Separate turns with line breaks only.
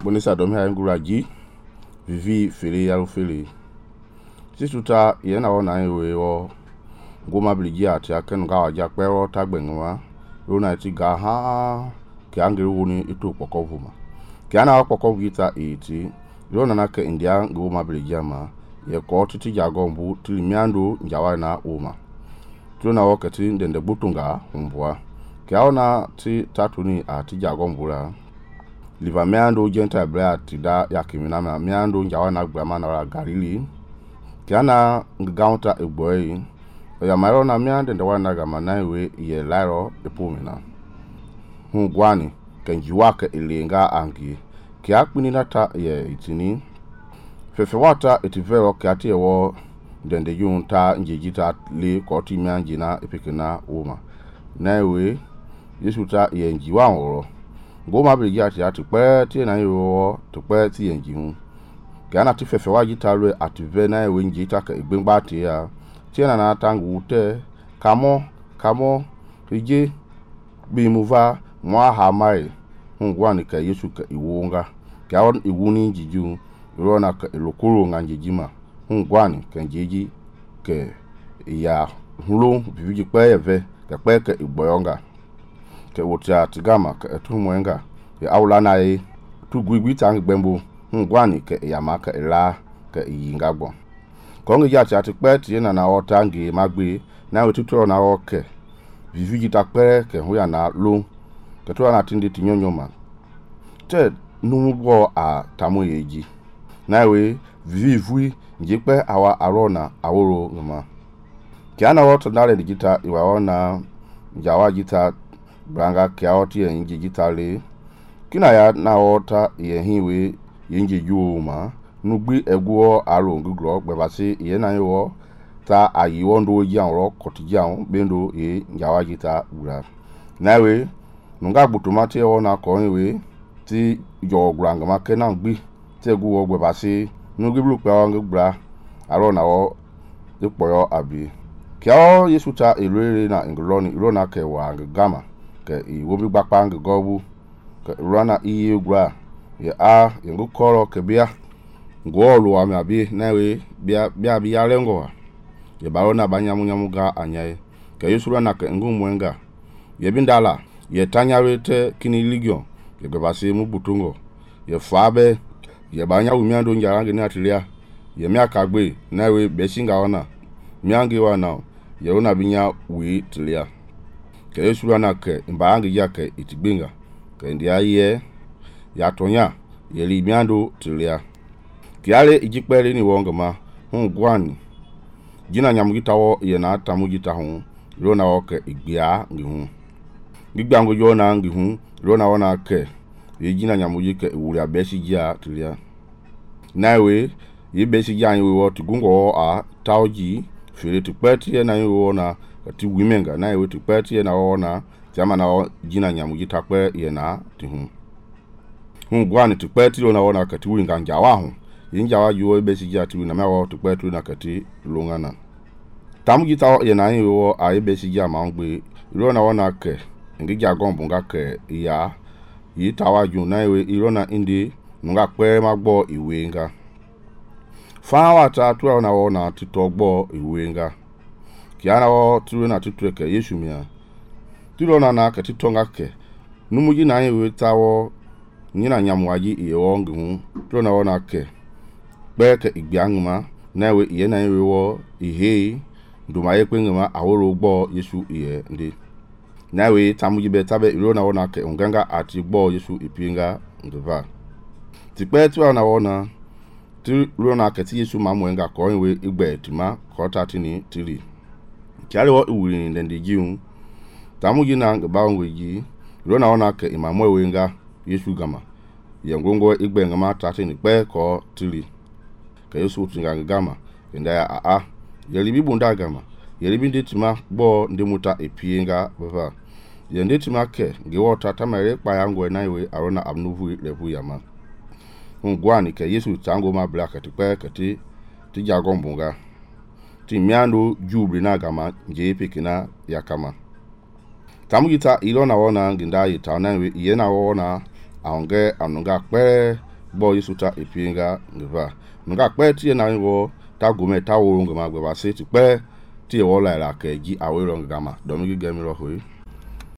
bonisa dom ha ngura ji vivi fele yalo fele sisuta yena ona we wo goma bliji ati aken ga waja pero tagbenwa rona ti ga ha ke angere woni ito pokovuma ke ana pokovita iti rona na ke india goma bliji ama ye ko titi jagombu tilimiando njawa na uma tuna wakati ndende butunga umbwa ke ona ti tatuni ati jagombula liva meando genta bra tida yakimina ma meando njawa na grama na galili kiana ngaunta egboyi ya maro na meando nda wana gama na we ye lairo epomina hungwani kenjiwaka ilenga angi kiakpini nata ye itini fefewata etivero kiati ewo ndende yunta njejita le koti mianjina epikina uma na we yesuta ye njiwa woro goma bliji ati pe ti na yo to pe ti yenji hu kana ti fefe wa gitarwe ati ve na we nji ta ka igbengba ti ya ti na tangu te kamo rije bi muva mwa ha mai hungwa ni ka yesu ka iwonga ka on iwuni jiju rona ka lokoro nga njijima hungwa ni ka njiji ke ya hulo bibiji pe eve ka pe ka igboyonga ke wotia tigama ke etumwenga ya awla na yi tu gwigwi tang gbembo ngwani ke yamaka ila ke yingagbo kongi ya cha ti pe ti na otangi magbe na wetuto na oke viviji ta pe ke huya na lo ke to na tindi tinyonyoma te numugbo a tamu yeji na we vivui njipe awa arona aworo ngama kiana woto dale digita iwaona njawa jita branga kiaoti ya inji jitale kina ya na ota ye hiwe yinji juuma nugbi egwo aro ngugro gbebasi ye na yo ta ayiwo ndo janro kotijan bendo ye njawa jita ura nawe nunga gbutumati wona ko we ti jo granga make na gbi te gwo gbebasi nugbi blu pa ngbra aro na wo ipoyo abi kio yesuta elere na ngloni rona ke wa gama ke iwobi gbapa ngobu ke rana iye gwa ya a yengu koro ke bia ngolu wa mabi nawe bia lengo ya barona banyamu ga anyai ke yesu rana ke ngumwenga ye bindala ye tanyarete kini ligion ye gbasi mu butungo ye fabe ye banya umiando njarange ni atilia ye miakagbe nawe besinga ona miange wana ye ona binya wi tilia ke yesu rana ke mbaangi yake itibinga ke ndia ye ya tonya ye limiando tilia kiale ijikpere ni wongama hungwani jina nyamugitawo ye na tamugita hu rona oke igbia ngihu gigbango yona ngihu rona wona ke ye jina nyamuji ke wuria besija tilia nawe ye besija ni wo tigungo a tauji fere tipeti ye na yo na ti wimenga na ye tipeti ye na wona jama na jina nyamuji takpe ye na tihu hungwani tipeti na wona ka ti winga njawa hu yinjawa yuo besija ti na mewo tipeti na ka ti lungana tamuji ta ye na yo a ye besija ma ngbe rona wona ke ngija gombunga ke ya yi tawa ju na we irona indi nga pe magbo iwenga fawa ta tu na wona titogbo iwenga kiana wo tu na titweke yesu mia tilona na ka titonga ke numuji na we tawo nyina nyamwaji iyewo ngu tilona wona ke pe ke igbiangma na we iye na we wo ihe nduma ye kwengma aworo gbo yesu iye ndi na we tamuji be tabe ilona wona ke unganga ati gbo yesu ipinga ndova tipe tu na wona ti rona ke ti yesu mamwenga ko we igbe tima ko tatini tiri kiale wo iwuri ndende jiun tamuji na ngbawo ji rona wona ke imamwe wenga yesu gama ye ngongo igbe ngama tatini pe ko tiri ke yesu tinga gama nda ya a ye libi bunda gama ye libi nditima gbo ndimuta epinga baba ye nditima ke ngewota tamare pa yango na we arona abnuvu levu yama ngwani ke yesu tango ma black tipe kati ti jagombunga ti miando jubri na gama nje pikina yakama tamugita ilona wona nginda yita na we ye na wona aonge anunga pe bo yesu ta epienga ngeva nga kpe tie na wo ta gome ta wo ngama gbe ba se ti kpe tie wo la ke ji awe ro ngama do mi ge mi ro hui